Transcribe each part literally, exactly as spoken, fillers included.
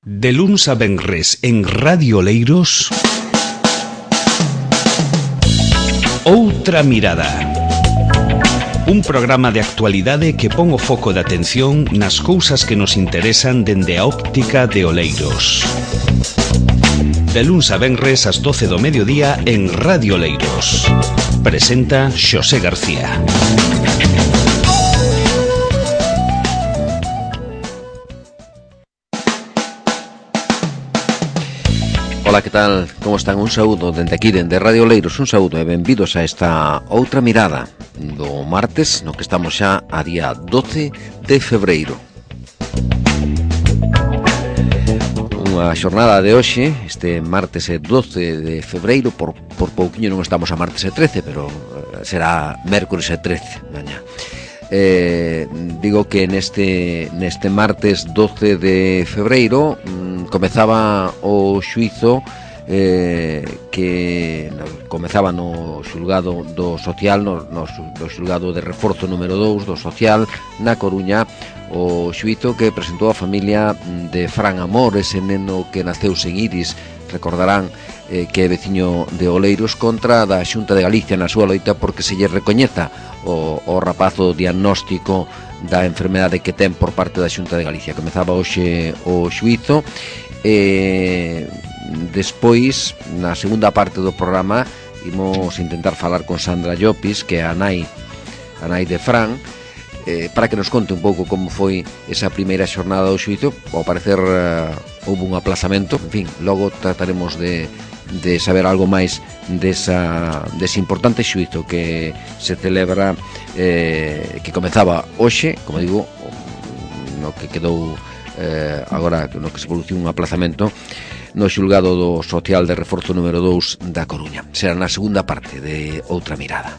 De luns a venres en Radio Oleiros, Outra Mirada. Un programa de actualidade que pon o foco de atención nas cousas que nos interesan dende a óptica de Oleiros. De luns a venres ás doce do mediodía en Radio Oleiros. Presenta Xosé García. Ola, que tal? Como están? Un saúdo dende aquí, dende Radio Oleiros. Un saúdo e benvidos a esta Outra Mirada do martes, no que estamos xa a día doce de febreiro. Unha xornada de hoxe, este martes é doce de febreiro, por, por pouquiño non estamos a martes e trece, pero será mércores e trece mañá. Eh, digo que neste, neste martes doce de febreiro mmm, comezaba o xuizo eh, que no, comezaba no xulgado do social, no, no, no xulgado de reforzo número dous do social na Coruña, o xuizo que presentou a familia de Fran Amor, ese neno que naceu sen iris, recordarán eh, que é veciño de Oleiros, contra da Xunta de Galicia na súa loita porque se lle recoñeza o, o rapazo diagnóstico da enfermedade que ten por parte da Xunta de Galicia. Comezaba hoxe o xuizo e despois, na segunda parte do programa, imos intentar falar con Sandra Llopis, que é a nai, a nai de Fran, eh, para que nos conte un pouco como foi esa primeira xornada do xuizo. Ao parecer uh, houve un aplazamento, en fin, logo trataremos de, de saber algo máis desa, dese importante xuizo que se celebra, eh, que comezaba hoxe, como digo, no que quedou eh, agora, no que se produciu un aplazamento no xulgado do social de reforzo número dous da Coruña. Será na segunda parte de Outra Mirada.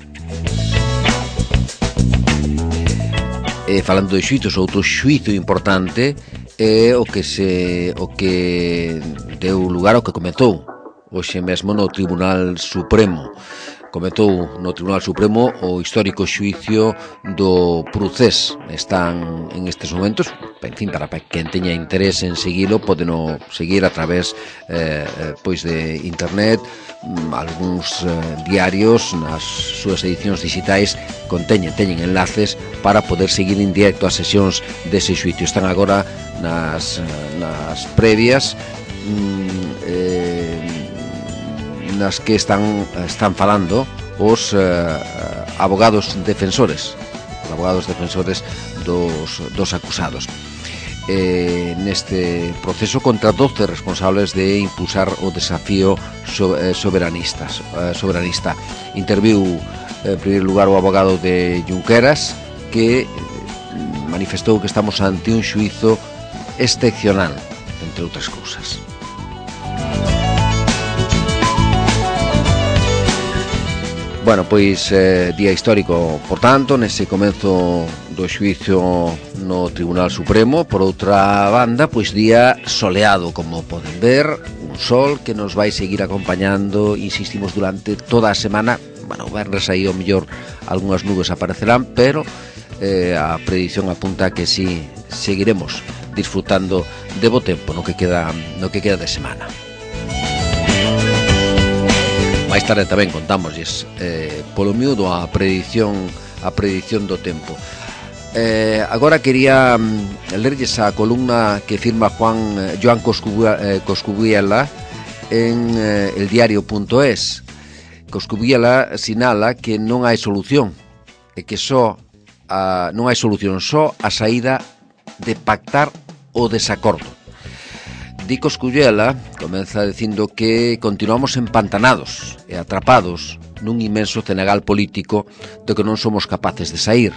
E falando de xuizos, outro xuizo importante é o que se o que deu lugar ao que comezou hoxe mesmo no Tribunal Supremo. Comezou no Tribunal Supremo o histórico xuicio do Procés. Están en estes momentos, en fin, para quen teña interés en seguilo, podeno seguir a través eh, pois de internet. Algúns eh, diarios nas súas edicións digitais conteñen, teñen enlaces para poder seguir en directo as sesións dese xuicio. Están agora nas, nas previas mm, eh, nas que están, están falando os eh, abogados defensores os abogados defensores dos, dos acusados eh, neste proceso contra doce responsables de impulsar o desafío so, eh, soberanistas, eh, soberanista. Interviu en primeiro lugar o abogado de Junqueras, que manifestou que estamos ante un xuizo excepcional, entre outras cousas. Bueno, pois eh, día histórico, por tanto, nese comenzo do xuizo no Tribunal Supremo. Por outra banda, pois día soleado, como poden ver, un sol que nos vai seguir acompañando, insistimos, durante toda a semana. Bueno, verres aí ao mellor algunhas nubes aparecerán, pero eh, a predición apunta que si seguiremos disfrutando de bo tempo no que queda, no que queda de semana. Mais tarde tamén contámoslles eh, polo miúdo a predición a predición do tempo. Eh, agora quería mm, lerlles a columna que firma Juan eh, Joan Coscubiela en eh, el diario punto es. Coscubiela sinala que non hai solución e que só a, non hai solución, só a saída de pactar o desacordo. Di Coscubiela, comeza dicindo que continuamos empantanados e atrapados nun inmenso cenagal político do que non somos capaces de sair.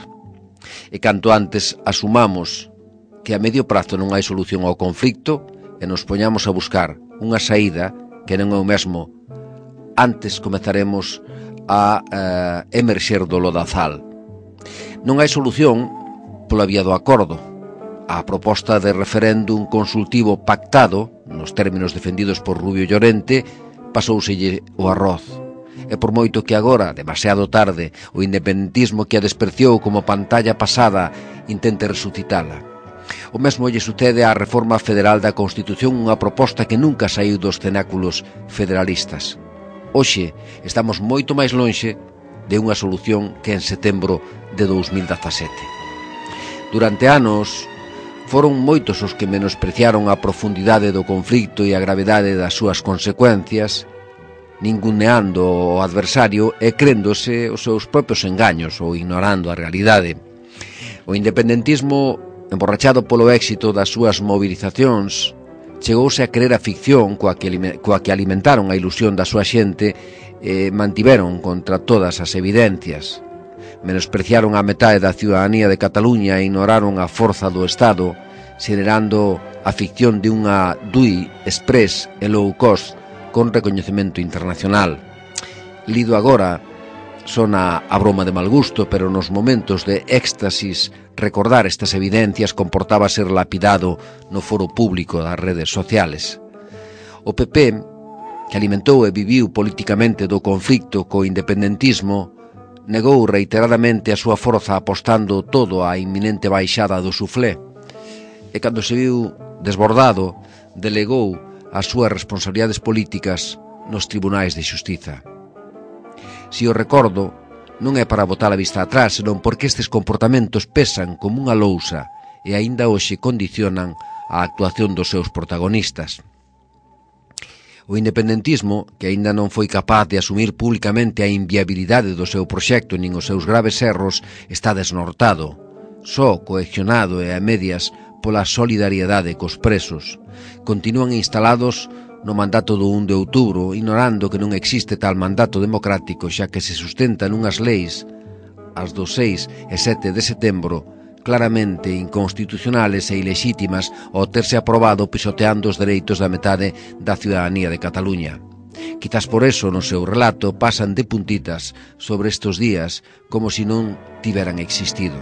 E canto antes asumamos que a medio prazo non hai solución ao conflicto e nos poñamos a buscar unha saída que non é o mesmo, antes comezaremos a eh, emerxer do lodazal. Non hai solución pola vía do acordo. A proposta de referéndum consultivo pactado, nos términos defendidos por Rubio Llorente, pasouselle o arroz. E por moito que agora, demasiado tarde, o independentismo que a despreciou como pantalla pasada intente resucitala. O mesmo lle sucede á reforma federal da Constitución, unha proposta que nunca saiu dos cenáculos federalistas. Hoxe estamos moito máis lonxe de unha solución que en setembro de dous mil dezasete. Durante anos foron moitos os que menospreciaron a profundidade do conflito e a gravedade das súas consecuencias, ninguneando o adversario e créndose os seus propios engaños ou ignorando a realidade. O independentismo, emborrachado polo éxito das súas movilizacións, chegouse a creer a ficción coa que, coa que alimentaron a ilusión da súa xente e mantiveron contra todas as evidencias. Menospreciaron a metade da ciudadanía de Cataluña e ignoraron a forza do Estado, xenerando a ficción de unha D U I express e low cost con recoñecemento internacional. Lido agora, sona a broma de mal gusto, pero nos momentos de éxtasis recordar estas evidencias comportaba ser lapidado no foro público das redes sociales. O P P, que alimentou e viviu politicamente do conflicto co independentismo, negou reiteradamente a súa forza apostando todo á inminente baixada do suflé, e cando se viu desbordado, delegou as súas responsabilidades políticas nos tribunais de xustiza. Si o recordo, non é para botar a vista atrás, senón porque estes comportamentos pesan como unha lousa e aínda hoxe condicionan a actuación dos seus protagonistas. O independentismo, que aínda non foi capaz de asumir públicamente a inviabilidade do seu proxecto nin os seus graves erros, está desnortado, só coaccionado e a medias pola solidariedade cos presos. Continúan instalados no mandato do un de outubro, ignorando que non existe tal mandato democrático, xa que se sustenta nunhas leis, as do seis e sete de setembro, claramente inconstitucionales e ilexítimas ao terse aprobado pisoteando os dereitos da metade da ciudadanía de Cataluña. Quizás por eso no seu relato pasan de puntitas sobre estes días como se non tiveran existido.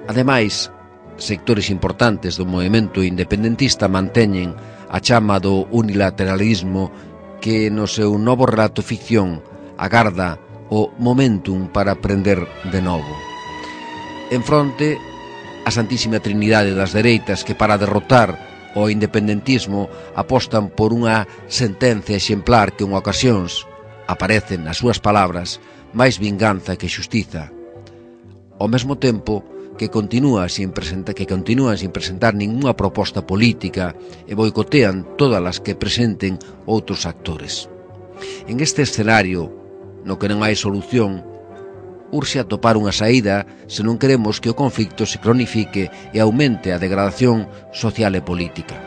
Ademais, sectores importantes do movemento independentista manteñen a chama do unilateralismo que no seu novo relato ficción agarda o momentum para aprender de novo. En fronte, a Santísima Trinidade das dereitas que para derrotar o independentismo apostan por unha sentencia exemplar que en ocasións aparecen nas súas palabras máis vinganza que xustiza. Ao mesmo tempo, que continúa sin presentar, que continúan sin presentar ningunha proposta política e boicotean todas as que presenten outros actores. En este escenario, no que non hai solución, urxe atopar unha saída se non queremos que o conflicto se cronifique e aumente a degradación social e política.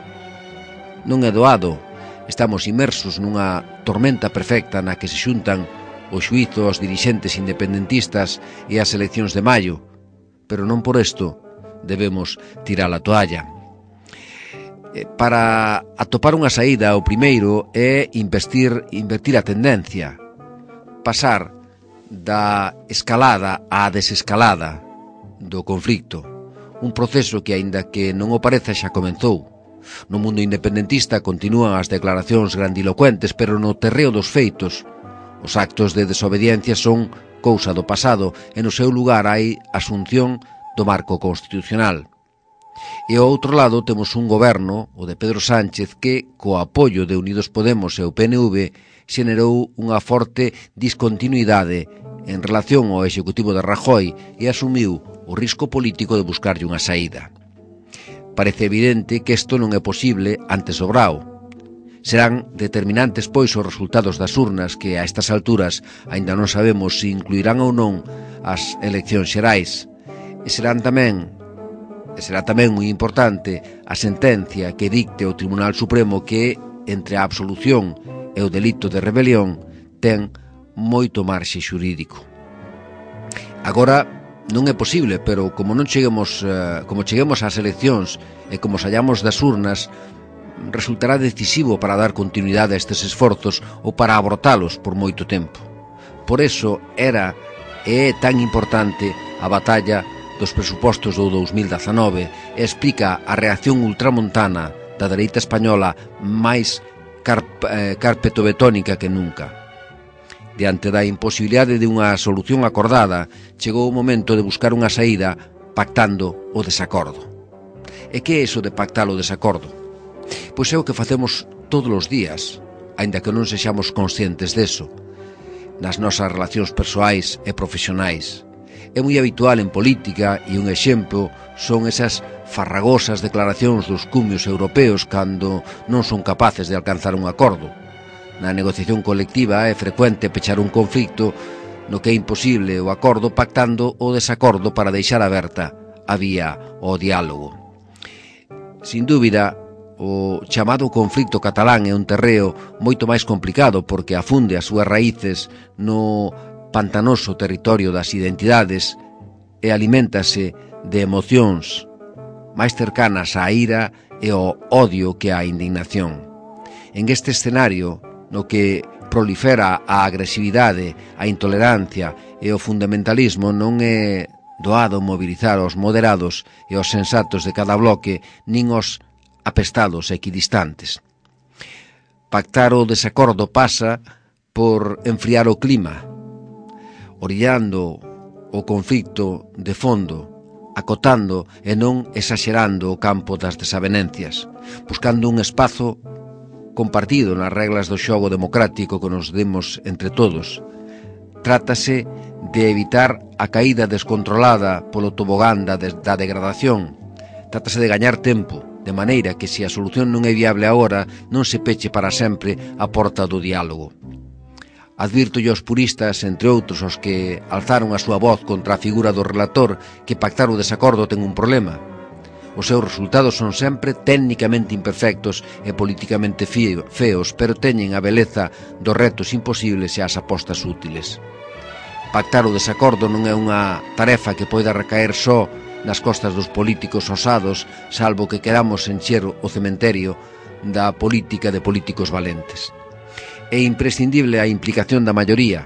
Non é doado, estamos inmersos nunha tormenta perfecta na que se xuntan o xuízo aos dirixentes independentistas e as eleccións de maio, pero non por isto debemos tirar a toalla. Para atopar unha saída, o primeiro é investir, invertir a tendencia, pasar da escalada á desescalada do conflicto, un proceso que, aínda que non o pareza, xa comenzou. No mundo independentista continúan as declaracións grandilocuentes, pero no terreo dos feitos, os actos de desobediencia son cousa do pasado e no seu lugar hai asunción do marco constitucional. E ao outro lado temos un goberno, o de Pedro Sánchez, que, co apoio de Unidos Podemos e o P N V, xenerou unha forte discontinuidade en relación ao executivo de Rajoy e asumiu o risco político de buscarlle unha saída. Parece evidente que isto non é posible antes do Brao. Serán determinantes, pois, os resultados das urnas que, a estas alturas, aínda non sabemos se incluirán ou non as eleccións xerais. E serán tamén, e será tamén moi importante a sentencia que dicte o Tribunal Supremo que, entre a absolución e o delito de rebelión, ten moito marxe xurídico. Agora, non é posible, pero como non cheguemos, eh, como cheguemos ás eleccións e como sallamos das urnas, resultará decisivo para dar continuidade a estes esforzos ou para abrotalos por moito tempo. Por eso era e é tan importante a batalla dos presupostos do dous mil dezanove e explica a reacción ultramontana da dereita española máis carp eh, carpetobetónica que nunca. Diante da imposibilidade de unha solución acordada, chegou o momento de buscar unha saída pactando o desacordo. E que é iso de pactar o desacordo? Pois é o que facemos todos os días, aínda que non sexamos conscientes deso, nas nosas relacións persoais e profesionais. É moi habitual en política, e un exemplo son esas farragosas declaracións dos cumios europeos cando non son capaces de alcanzar un acordo. Na negociación colectiva é frecuente pechar un conflicto no que é imposible o acordo pactando o desacordo para deixar aberta a vía ao diálogo. Sin dúbida, o chamado conflicto catalán é un terreo moito máis complicado porque afunde as súas raíces no pantanoso territorio das identidades e aliméntase de emocións máis cercanas á ira e ao odio que á indignación. En este escenario, no que prolifera a agresividade, a intolerancia e o fundamentalismo, non é doado mobilizar os moderados e os sensatos de cada bloque, nin os apestados e equidistantes. Pactar o desacordo pasa por enfriar o clima, orillando o conflicto de fondo, acotando e non exaxerando o campo das desavenencias, buscando un espazo compartido nas reglas do xogo democrático que nos demos entre todos. Trátase de evitar a caída descontrolada polo tobogán da, de, da degradación. Trátase de gañar tempo, de maneira que se a solución non é viable agora, non se peche para sempre a porta do diálogo. Advirto aos puristas, entre outros os que alzaron a súa voz contra a figura do relator, que pactar o desacordo ten un problema. Os seus resultados son sempre técnicamente imperfectos e politicamente feos, pero teñen a beleza dos retos imposibles e as apostas útiles. Pactar o desacordo non é unha tarefa que poida recaer só nas costas dos políticos osados, salvo que queramos encher o cementerio da política de políticos valentes. É imprescindible a implicación da maioría,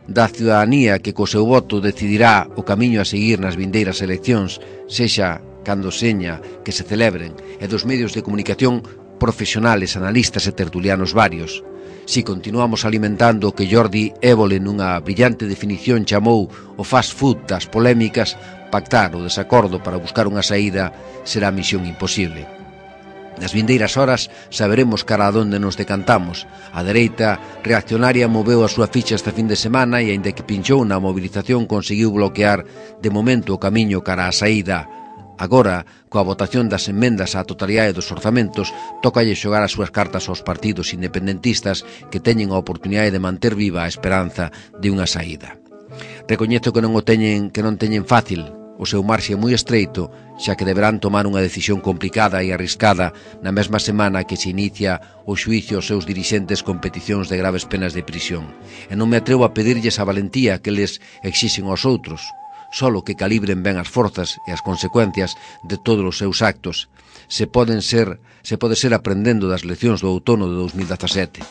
da ciudadanía que co seu voto decidirá o camiño a seguir nas vindeiras eleccións, sexa cando seña que se celebren, e dos medios de comunicación profesionales, analistas e tertulianos varios. Si continuamos alimentando o que Jordi Évole nunha brillante definición chamou o fast food das polémicas, pactar o desacordo para buscar unha saída será misión imposible. Nas vindeiras horas saberemos cara a donde nos decantamos. A dereita reaccionaria moveu a súa ficha esta fin de semana e, aínda que pinchou na movilización, conseguiu bloquear de momento o camiño cara á saída. Agora, coa votación das emendas á totalidade dos orzamentos, tócalle xogar as súas cartas aos partidos independentistas que teñen a oportunidade de manter viva a esperanza de unha saída. Recoñezo que non o teñen, que non teñen fácil, o seu marxe é moi estreito, xa que deberán tomar unha decisión complicada e arriscada na mesma semana que se inicia o xuicio aos seus dirixentes con peticións de graves penas de prisión. E non me atrevo a pedirlles a valentía que les exixen aos outros, solo que calibren ben as forzas e as consecuencias de todos os seus actos. Se poden ser, se pode ser aprendendo das leccións do outono de dos mil dezasete.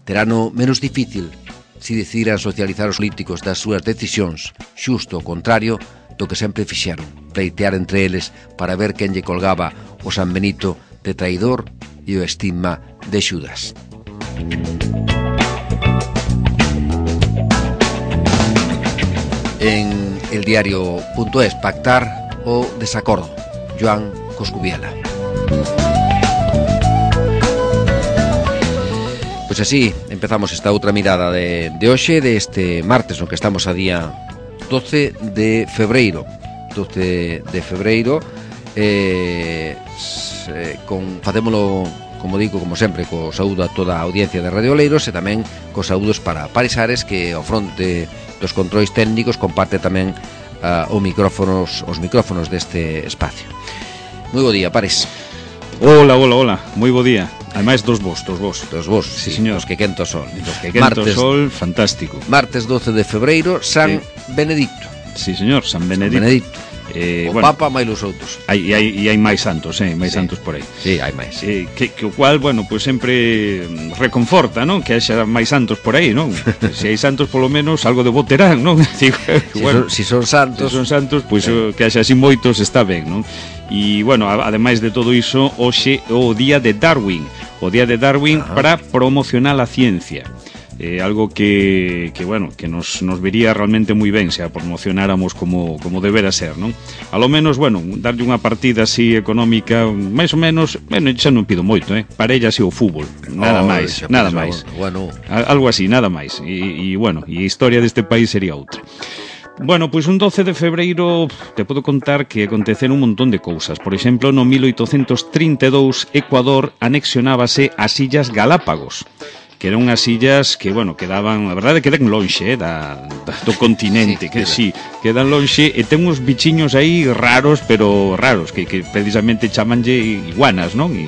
Terano menos difícil se decidiran socializar os políticos das súas decisións, xusto o contrario do que sempre fixeron, pleitear entre eles para ver quen lle colgaba o San Benito de traidor e o estigma de Xudas. En el diario punto es, pactar o desacordo, Joan Coscubiela. Pois así empezamos esta outra mirada de, de hoxe, deste martes, no que estamos a día doce de febreiro doce de febreiro eh, se, con, facémolo, como digo, como sempre, co saúdo a toda a audiencia de Radio Oleiros e tamén co saúdos para Paris Ares, que ao fronte dos controis técnicos comparte tamén uh, os micrófonos os micrófonos deste espacio. Moi bo día, Paris. Hola, hola, hola, moi bo día. Ademais dos vos, dos vos. Dos vos, sí, sí, señor. Os que quento sol. Dos que quento martes, sol, fantástico. Martes doce de febreiro, San sí. Benedicto. Sí, señor, San Benedicto. San Benedicto. Eh, o bueno, Papa máis os outros. Hai, hai, e hai máis santos, eh, máis sí. santos por aí. Sí, hai máis. Eh, que, que o cual, bueno, pues sempre reconforta, non? Que haxa máis santos por aí, non? Se hai santos, polo menos, algo de bo terán, non? Digo, si, bueno, son, si son santos... Si son santos, pois pues, sí. que haxa así moitos está ben, non? E, bueno, ademais de todo iso, hoxe o día de Darwin. O día de Darwin Ajá. para promocionar a ciencia. eh, algo que, que bueno, que nos, nos vería realmente moi ben se a promocionáramos como, como debera ser, non? A lo menos, bueno, darlle unha partida así económica, máis ou menos, bueno, xa non pido moito, eh? Parella así o fútbol, nada oh, máis, nada máis. Bueno, Algo así, nada máis. E, e bueno, e a historia deste país sería outra. Bueno, pois un doce de febreiro te podo contar que aconteceron un montón de cousas. Por exemplo, no mil oitocentos trinta e dous, Ecuador anexionábase as Illas Galápagos, que eran unhas illas que, bueno, quedaban, a verdade, quedan lonxe, eh, da, da, do continente, sí, que sí, quedan lonxe, e ten uns bichiños aí raros, pero raros, que, que precisamente chamanlle iguanas, non? E,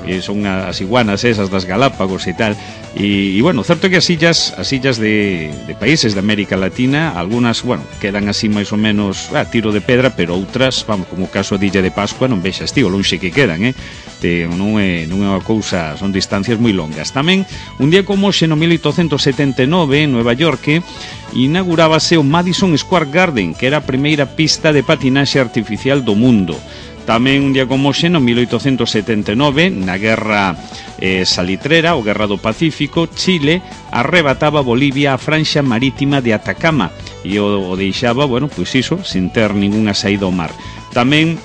e son as iguanas esas das Galápagos e tal. E, e bueno, certo que as illas as illas de, de países de América Latina, algunhas, bueno, quedan así máis ou menos a tiro de pedra, pero outras, vamos, como o caso de Illa de Pascua, non vexas tío, lonxe que quedan, eh? Te, non, é, non é unha cousa, son distancias moi longas. Tamén, un día como hoxe, no mil oitocentos setenta e nove, en Nueva York, inaugurábase o Madison Square Garden, que era a primeira pista de patinaxe artificial do mundo. Tamén un día como hoxe, no mil oitocentos setenta e nove, na guerra eh, salitrera, ou guerra do Pacífico, Chile arrebataba a Bolivia a franxa marítima de Atacama e o, o deixaba, bueno, pois iso, sin ter ningunha saída ao mar. Tamén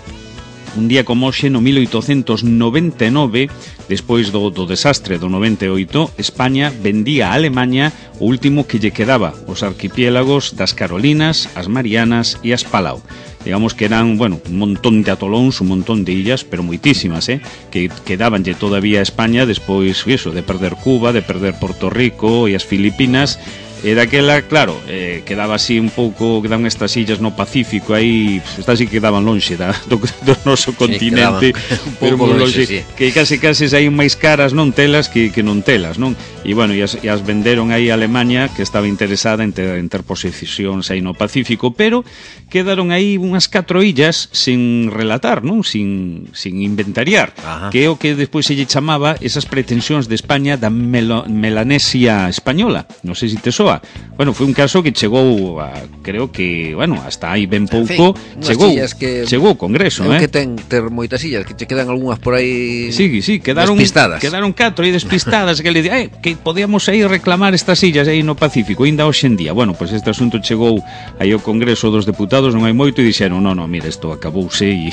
un día como hoxe, no mil oitocentos noventa e nove, despois do, do desastre do noventa e oito, España vendía a Alemanha o último que lle quedaba, os arquipiélagos das Carolinas, as Marianas e as Palau. Digamos que eran, bueno, un montón de atolóns, un montón de illas, pero moitísimas, eh, que quedabanlle todavía a España despois, iso, de perder Cuba, de perder Porto Rico e as Filipinas. E daquela, claro, eh, quedaba así un pouco, quedaban estas illas no Pacífico aí, estas sí quedaban lonxe da, do, do noso continente, sí, un pero pouco lonxe, lonxe, sí. Que case case aí máis caras non telas que, que non telas, non? E bueno, e as, e as venderon aí a Alemanha, que estaba interesada en ter, en ter posesións aí no Pacífico, pero quedaron aí unhas catro illas sin relatar, non? Sin, sin inventariar. Ajá. Que é o que despois se lle chamaba esas pretensións de España da Melo, Melanesia española. Non sei se te soa. Bueno, foi un caso que chegou a, creo que, bueno, hasta aí ben pouco, en fin, chegou, que, chegou ao Congreso, eh? Que ten ter moitas illas, que che quedan algunhas por aí sí, sí, quedaron, despistadas. Quedaron catro aí despistadas, que le di, eh, que podíamos aí reclamar estas illas aí no Pacífico, ainda hoxe en día. Bueno, pois pues este asunto chegou aí ao Congreso dos Deputados, non hai moito, e dixeron, non, non, mira, isto acabouse e,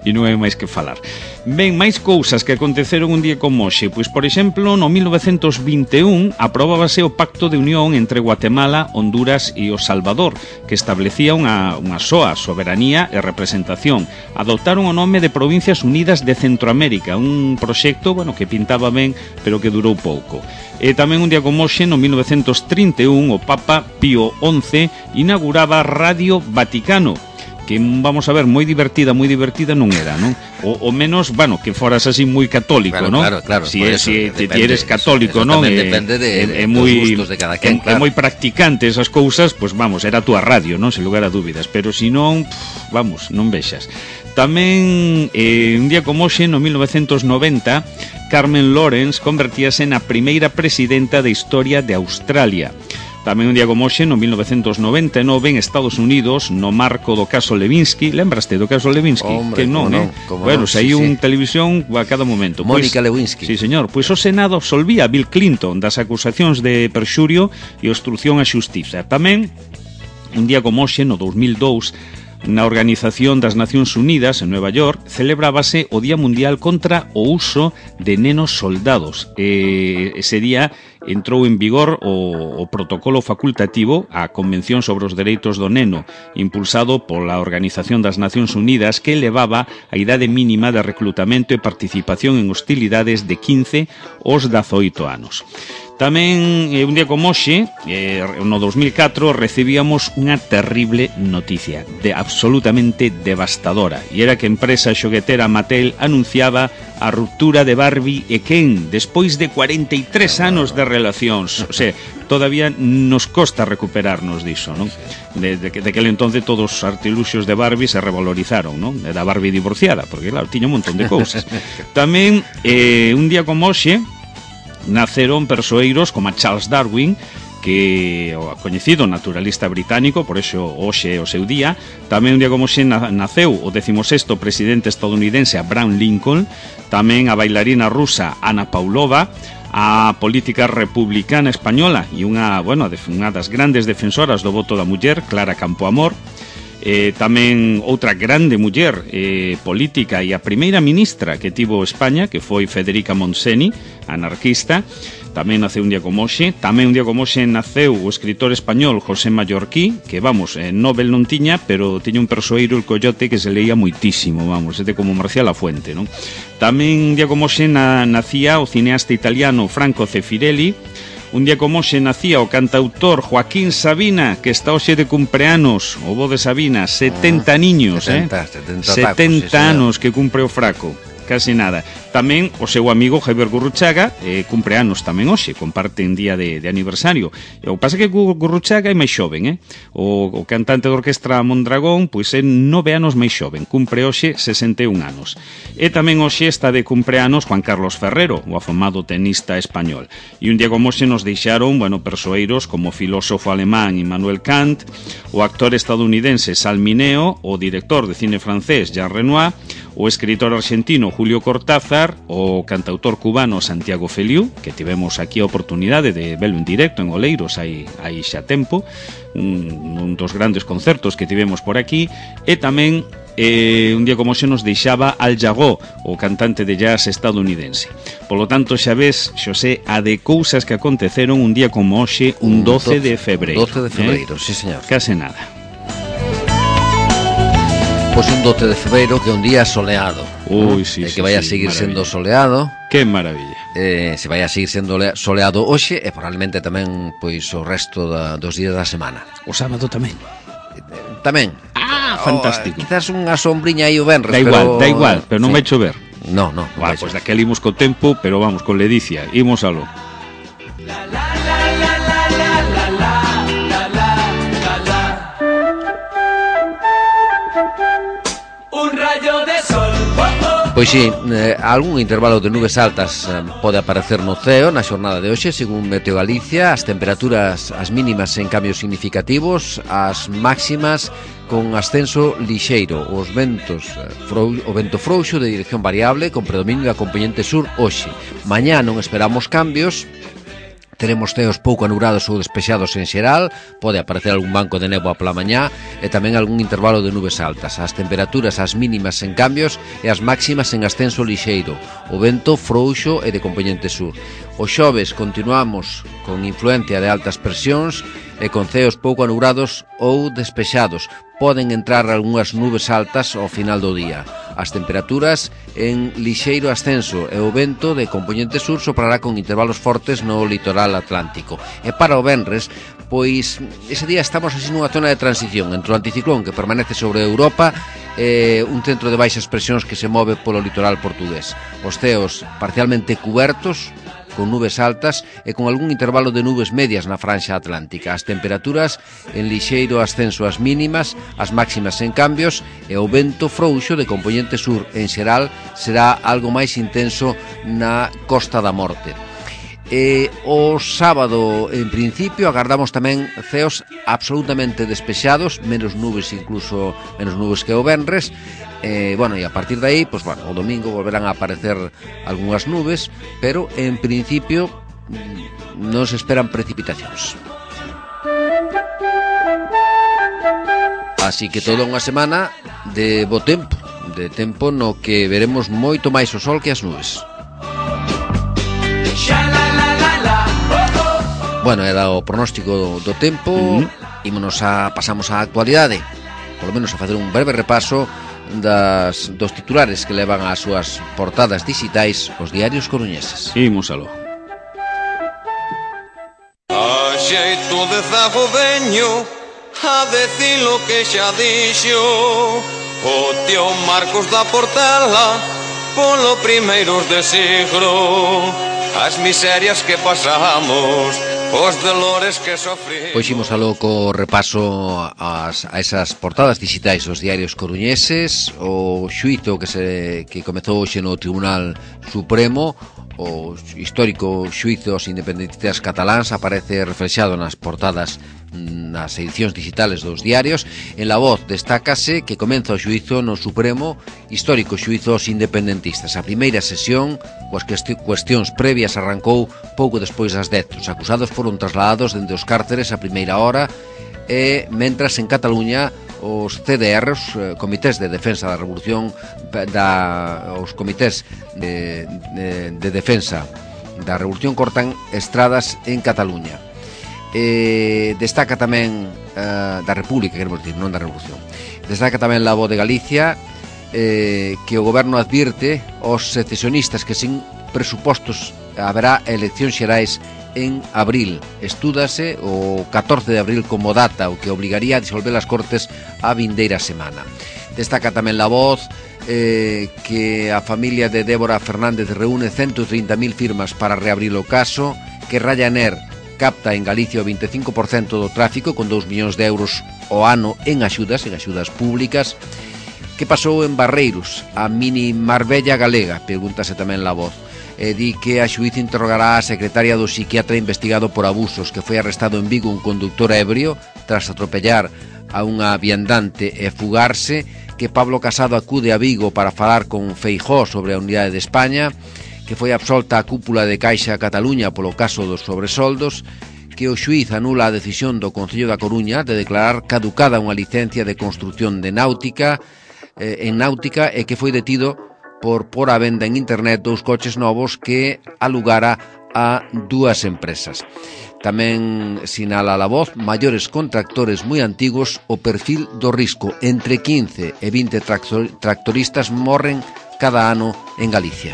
e non hai máis que falar. Ben, máis cousas que aconteceron un día como hoxe. Pois, por exemplo, no mil novecentos vinte e un aprobábase o Pacto de Unión entre Guatemala, Honduras e o Salvador, que establecía unha, unha soa soberanía e representación. Adoptaron o nome de Provincias Unidas de Centroamérica, un proxecto, bueno, que pintaba ben, pero que durou pouco. E tamén un día como hoxe, no mil novecentos trinta e un, o Papa Pío once inauguraba Radio Vaticano, que, vamos a ver, moi divertida, moi divertida non era, non? O, o menos, bueno, que foras así moi católico, claro, non? Claro, claro, si, es, si te eres católico, eso, non? Eso depende de, de, de moi, dos gustos de cada quen, é, claro. É moi practicante esas cousas, pois pues, vamos, era a túa radio, non? Sen lugar a dúbidas, pero si non, pff, vamos, non vexas. Tamén, eh, un día como hoxe, no mil novecentos noventa, Carmen Lawrence convertíase na primeira presidenta da historia de Australia. Tamén un día como hoxe, no mil novecentos noventa e nove, en Estados Unidos, no marco do caso Levinsky, lembraste do caso Levinsky? Hombre, que non, no, eh? no, Bueno, saiu sí, un sí. televisión a cada momento. Mónica pues, Lewinsky. Sí, señor. Pois pues o Senado absolvía a Bill Clinton das acusacións de perxurio e obstrucción á xustiza. Tamén, un día como hoxe, no dos mil dous, na Organización das Nacións Unidas en Nueva York celebrábase o Día Mundial contra o uso de nenos soldados. E ese día entrou en vigor o, o protocolo facultativo á Convención sobre os Dereitos do Neno, impulsado pola Organización das Nacións Unidas, que elevaba a idade mínima de reclutamento e participación en hostilidades de quince aos dezaoito anos. Tamén, eh, un día como hoxe, eh, no dos mil catro, recibíamos unha terrible noticia, de absolutamente devastadora, e era que a empresa xoguetera Mattel anunciaba a ruptura de Barbie e Ken despois de cuarenta e tres anos de relacións. O sea, todavía nos costa recuperarnos diso, non? De, de, de aquel entonces todos os artiluxios de Barbie se revalorizaron, non? Da Barbie divorciada, porque claro, tiña un montón de cousas. Tamén, eh, un día como hoxe, naceron persoeiros como a Charles Darwin, que o coñecido naturalista británico, por eso hoxe é o seu día. Tamén un día como hoxe naceu o décimo sexto presidente estadounidense Abraham Lincoln. Tamén a bailarina rusa Anna Pavlova, a política republicana española e unha, bueno, unha das grandes defensoras do voto da muller, Clara Campoamor. Eh, tamén outra grande muller eh, política e a primeira ministra que tivo España, que foi Federica Montseny, anarquista. Tamén naceu un día como hoxe. Tamén un día como hoxe naceu o escritor español José Mallorquí, que, vamos, eh, Nobel non tiña, pero tiña un persoeiro, el Coyote, que se leía moitísimo, vamos, este como Marcial Lafuente, non? Tamén un día como hoxe na, nacía o cineasta italiano Franco Zeffirelli. Un día como hoxe nacía o cantautor Joaquín Sabina, que está hoxe de cumpleanos, o bo de Sabina, setenta ah, niños, setenta, eh? setenta, setenta tacos, anos que cumpre o fraco. Casi nada. Tamén o seu amigo Javier Gurruchaga eh, cumpre anos tamén hoxe, comparten día de, de aniversario. O que pasa é que Gurruchaga é máis xoven, eh? O, o cantante de orquestra Mondragón, pois é nove anos máis xoven, cumpre hoxe sesenta e un anos. E tamén hoxe está de cumpleanos Juan Carlos Ferrero, o afamado tenista español. E un día como hoxe nos deixaron, bueno, persoeiros como o filósofo alemán Immanuel Kant, o actor estadounidense Sal Mineo, o director de cine francés Jean Renoir, o escritor argentino Julio Cortázar, o cantautor cubano Santiago Feliu, que tivemos aquí a oportunidade de velo en directo en Oleiros hai, hai xa tempo, un, un dos grandes concertos que tivemos por aquí, e tamén eh, un día como xe nos deixaba Al Jarreau, o cantante de jazz estadounidense. Polo tanto, xa ves, Xosé, a de cousas que aconteceron un día como hoxe, un doce de febreiro. doce de febreiro, eh? Sí, señor. Case nada. Pois un doce de febreiro que é un día soleado. Ui, sí, e que sí, vai a sí, seguir maravilla. sendo soleado. Que maravilla. Eh, se vai a seguir sendo soleado hoxe e probablemente tamén pois o resto da, dos días da semana. O sábado tamén. Eh, tamén. Ah, fantástico. O, quizás unha sombriña aí o venres, da igual, pero... da igual, pero non sí. vai chover. No, no. Vale, pois pues daquel imos co tempo, pero vamos, con ledicia, imos alo. La, la, la, la, la, la, la, la, la, la, la. Un rayo de sol. Oh, oh. Pois sí, eh, algún intervalo de nubes altas eh, pode aparecer no ceo na xornada de hoxe, según Meteo Galicia. As temperaturas, as mínimas en cambios significativos, as máximas con ascenso lixeiro. Os ventos, eh, frou, o vento frouxo de dirección variable con predominio da componente sur hoxe. Mañá non esperamos cambios. Teremos ceos pouco anubrados ou despexados en xeral, pode aparecer algún banco de néboa pola mañá e tamén algún intervalo de nubes altas. As temperaturas, as mínimas en cambios e as máximas en ascenso lixeiro. O vento frouxo e de componente sur. O xoves continuamos con influencia de altas presións e con ceos pouco anubrados ou despexados. Poden entrar algunhas nubes altas ao final do día. As temperaturas en lixeiro ascenso e o vento de componente sur soprará con intervalos fortes no litoral atlántico. E para o venres, pois ese día estamos así nunha zona de transición entre o anticiclón que permanece sobre Europa e un centro de baixas presións que se move polo litoral portugués. Os ceos parcialmente cubertos con nubes altas e con algún intervalo de nubes medias na franxa atlántica. As temperaturas en lixeiro ascenso as mínimas, as máximas en cambios e o vento frouxo de componente sur en xeral será algo máis intenso na Costa da Morte. E o sábado, en principio, agardamos tamén ceos absolutamente despexados, menos nubes incluso, menos nubes que o venres. Eh, bueno, e a partir de aí, pues, bueno, o domingo volverán a aparecer algunhas nubes, pero en principio non se esperan precipitacións. Así que toda unha semana de bo tempo, de tempo no que veremos moito máis o sol que as nubes. Bueno, era o pronóstico do tempo. Mm-hmm. Ímonos a, pasamos á actualidade, polo menos a facer un breve repaso das, dos titulares que levan as súas portadas digitais os diarios coruñeses. Imos aló. A xeito de zago veño a decir lo que xa dixo o tío Marcos da Portela polo primeiros de siglo, as miserias que pasamos, os dolores que sofrimos. Pois imos aló co repaso as, a esas portadas digitais dos diarios coruñeses. O xuízo que se que comezou hoxe no Tribunal Supremo o histórico xuízo aos independentistas cataláns aparece reflexado nas portadas nas edicións digitales dos diarios. En La Voz destácase que comeza o xuízo no Supremo, histórico xuízo aos independentistas. A primeira sesión, coas cuestións previas, arrancou pouco despois das dez. Os acusados foron trasladados dende os cárceres a primeira hora, e mentras en Cataluña os C D R, os comités de defensa da revolución, da, os comités de, de, de defensa da revolución cortan estradas en Cataluña. Eh, destaca tamén uh, da República, queremos dicir, non da revolución. Destaca tamén La Voz de Galicia eh, que o goberno advirte aos secesionistas que sin presupostos haberá eleccións xerais en abril. Estúdase o catorce de abril como data, o que obligaría a disolver as Cortes a vindeira semana. Destaca tamén La Voz eh, que a familia de Débora Fernández reúne ciento trinta mil firmas para reabrir o caso, que Ryanair capta en Galicia o veinticinco por cento do tráfico con dous millóns de euros ao ano en axudas, en axudas públicas. Que pasou en Barreiros, a mini Marbella galega? Pregúntase tamén La Voz. E di que a xuíz interrogará a secretaria do psiquiatra investigado por abusos, que foi arrestado en Vigo un conductor ebrio tras atropellar a unha viandante e fugarse, que Pablo Casado acude a Vigo para falar con Feijóo sobre a unidade de España, que foi absolta a cúpula de Caixa Cataluña polo caso dos sobresoldos, que o xuíz anula a decisión do Concello da Coruña de declarar caducada unha licencia de construción de náutica eh, en náutica, e que foi detido por por a venda en internet dous coches novos que alugara a dúas empresas. Tamén sinala La Voz maiores contractores moi antigos, o perfil do risco. Entre quince e vinte tractor, tractoristas morren cada ano en Galicia.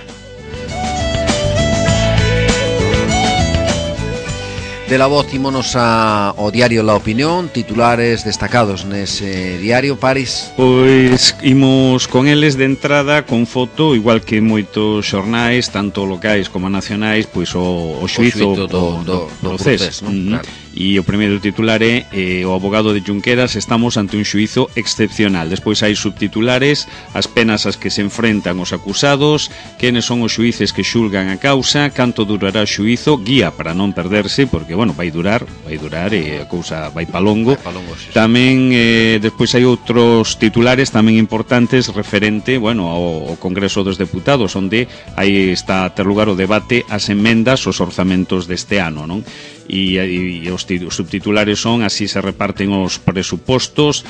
De La Voz ímonos a, ao diario La Opinión, titulares destacados nese diario, Paris. Pois imos con eles de entrada con foto, igual que moitos xornais, tanto locais como nacionais, pois o, o xuízo do, do, do, do procés, non? Mm-hmm. Claro. E o primeiro titular é eh, o abogado de Junqueras: estamos ante un xuízo excepcional. Despois hai subtitulares: as penas ás que se enfrentan os acusados, quenes son os xuíces que xulgan a causa, canto durará o xuízo, guía para non perderse, porque, bueno, vai durar, vai durar e a cousa vai pa longo. Vai pa longo, sí, sí. Tamén, eh, despois hai outros titulares tamén importantes referente, bueno, ao, ao Congreso dos Deputados, onde aí está a ter lugar o debate ás emendas aos orzamentos deste ano, non? E, e, e os subtitulares son: así se reparten os presupostos,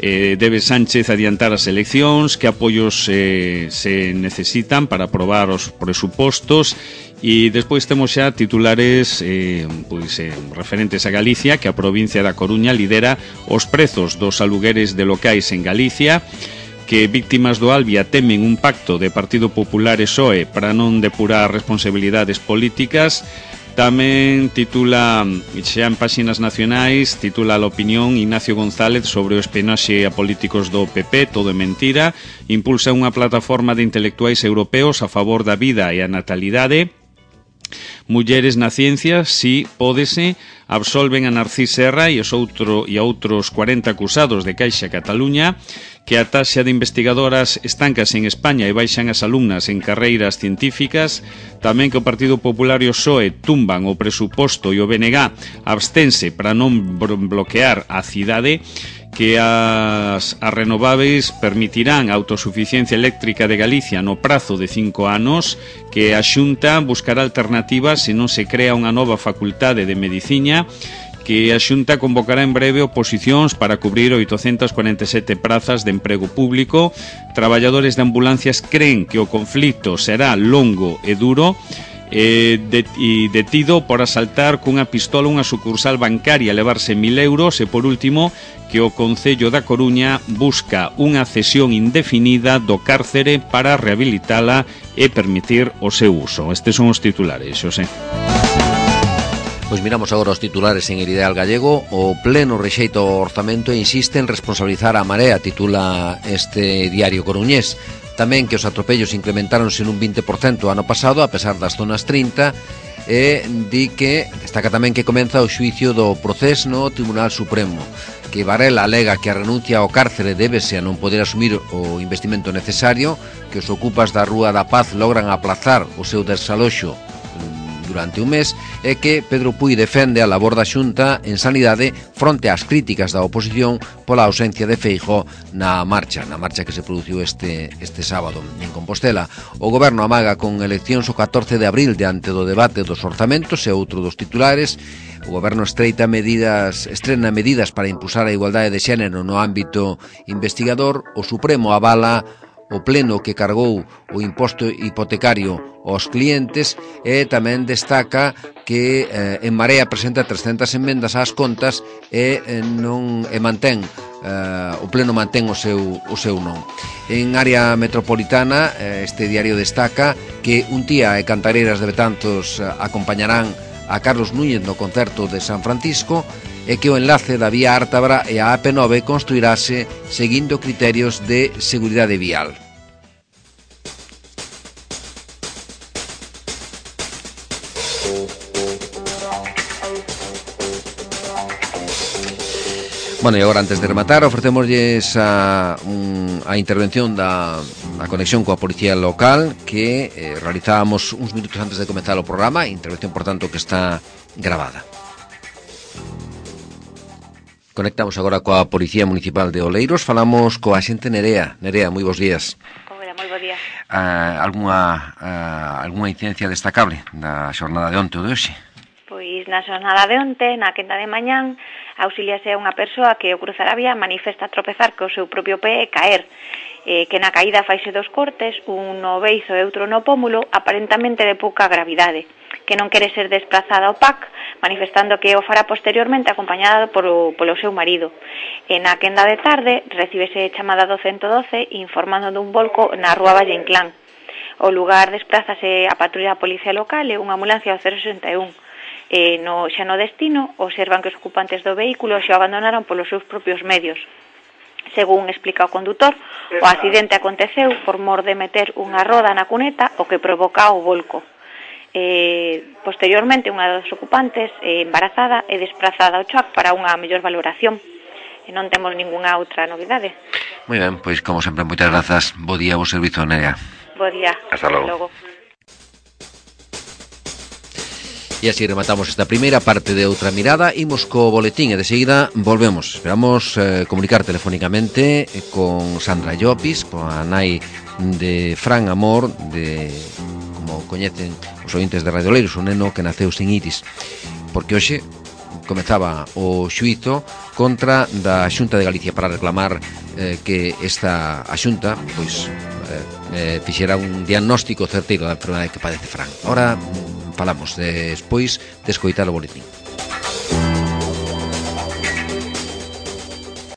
eh, debe Sánchez adiantar as eleccións, que apoios eh, se necesitan para aprobar os presupostos. E despois temos xa titulares eh, pois, eh, referentes a Galicia, que a provincia da Coruña lidera os prezos dos alugueres de locais en Galicia, que víctimas do Albia temen un pacto de Partido Popular e P S O E para non depurar responsabilidades políticas. Tamén titula, xa en páxinas nacionais, titula La Opinión, Ignacio González sobre o espionaxe a políticos do P P, todo é mentira. Impulsa unha plataforma de intelectuais europeos a favor da vida e a natalidade. Mulleres na ciencia, si, pódese. Absolven a Narcís Serra e, os outro, e a outros cuarenta acusados de Caixa Cataluña, que a taxa de investigadoras estancas en España e baixan as alumnas en carreiras científicas. Tamén que o Partido Popular e o P S O E tumban o presuposto e o B N G abstense para non bloquear a cidade, que as, as renováveis permitirán a autosuficiencia eléctrica de Galicia no prazo de cinco anos, que a Xunta buscará alternativas se non se crea unha nova facultade de medicina, que a Xunta convocará en breve oposicións para cubrir oitocentas cuarenta e sete prazas de emprego público. Traballadores de ambulancias creen que o conflito será longo e duro. Eh, det e detido por asaltar cunha pistola unha sucursal bancaria, levarse mil euros. E por último, que o Concello da Coruña busca unha cesión indefinida do cárcere para rehabilitala e permitir o seu uso. Estes son os titulares, Xosé. Pois miramos agora os titulares en El Ideal Gallego. O pleno rexeita o orzamento e insiste en responsabilizar a Marea, titula este diario coruñés. Tamén que os atropellos incrementáronse nun vinte por cento ano pasado, a pesar das zonas trinta. e di que destaca tamén que comeza o xuicio do proceso no Tribunal Supremo, que Varela alega que a renuncia ao cárcere débese a non poder asumir o investimento necesario, que os ocupas da Rúa da Paz logran aplazar o seu desaloxo durante un mes, e que Pedro Puy defende a labor da Xunta en sanidade fronte ás críticas da oposición pola ausencia de Feijóo na marcha, na marcha que se produciu este, este sábado en Compostela. O Goberno amaga con eleccións o catorce de abril diante do debate dos orzamentos e outro dos titulares. O Goberno estreita medidas, estrena medidas para impulsar a igualdade de xénero no ámbito investigador. O Supremo avala o pleno que cargou o imposto hipotecario aos clientes e tamén destaca que eh, En Marea presenta trescentas enmendas ás contas e eh, non e mantén eh, o pleno mantén o seu, o seu non. En área metropolitana, eh, este diario destaca que un tía e cantareiras de Betanzos eh, acompañarán a Carlos Núñez no concerto de San Francisco, e que o enlace da vía Ártabra e a A P nove construirase seguindo criterios de seguridade vial. Bueno, e agora, antes de rematar, ofrecémosles a, un, a intervención da a conexión coa policía local que eh, realizábamos uns minutos antes de comenzar o programa, intervención, por tanto, que está grabada. Conectamos agora coa Policía Municipal de Oleiros, falamos coa xente Nerea. Nerea, moi bons días. Hola, moi bons días. Uh, alguna, uh, alguna incidencia destacable da xornada de onte ou de hoxe? Pois na xornada de onte, na quenda de mañán, auxiliase a unha persoa que ao cruzar a vía manifesta tropezar co seu propio pé e caer, eh, que na caída faise dos cortes, un no beizo e outro no pómulo, aparentamente de pouca gravidade, que non quere ser desplazada ao P A C, manifestando que o fará posteriormente acompañada polo, polo seu marido. E na quenda de tarde recíbese chamada do ciento doce informando dun volco na Rúa Valle Inclán. O lugar desplázase a patrulla da policía local e unha ambulancia ao cero sesenta e un. E no, xa no destino, observan que os ocupantes do vehículo xa o abandonaron polos seus propios medios. Según explica o condutor, o accidente aconteceu por mor de meter unha roda na cuneta, o que provoca o volco. Eh, posteriormente, unha dos ocupantes, eh, embarazada, é desplazada ao C H O C para unha mellor valoración. E non temos ningunha outra novidade. Moi ben, pois como sempre, moitas grazas. Bo día, bo servizo, Nerea. Bo día. Hasta logo. logo. E así rematamos esta primeira parte de Outra Mirada. Imos co boletín e de seguida volvemos. Esperamos eh, comunicar telefónicamente con Sandra Llopis, coa nai de Fran Amor, de, como coñecen os ointes de Radio Oleiros, un neno que naceu sin iris, porque hoxe comezaba o xuízo contra da Xunta de Galicia para reclamar eh, que esta a Xunta pois eh, eh, fixera un diagnóstico certeiro da enfermedade que padece Fran. Ora falamos despois de escoitar o boletín.